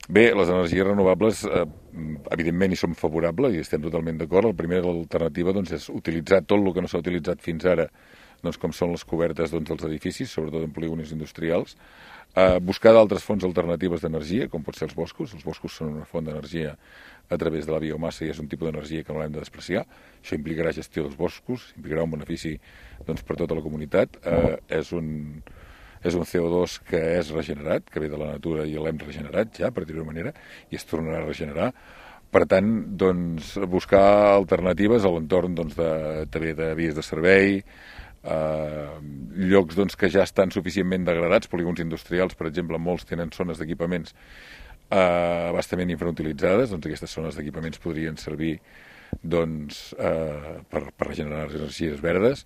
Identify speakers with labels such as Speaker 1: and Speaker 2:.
Speaker 1: Bé, les energies renovables, evidentment, hi som favorables i estem totalment d'acord. La primera alternativa doncs, és utilitzar tot el que no s'ha utilitzat fins ara, doncs, com són les cobertes doncs, dels edificis, sobretot en polígons industrials, buscar d'altres fonts alternatives d'energia, com pot ser els boscos. Els boscos són una font d'energia a través de la biomassa i és un tipus d'energia que no l'hem de despreciar. Això implicarà gestió dels boscos, implicarà un benefici doncs, per tota la comunitat. És un CO2 que és regenerat, que ve de la natura i l'hem regenerat ja, per dir-ho manera, i es tornarà a regenerar. Per tant, doncs, buscar alternatives a l'entorn doncs, també de vies de servei, llocs doncs, que ja estan suficientment degradats, polígons industrials, per exemple, molts tenen zones d'equipaments bastament infrautilitzades, doncs aquestes zones d'equipaments podrien servir doncs, per regenerar les energies verdes.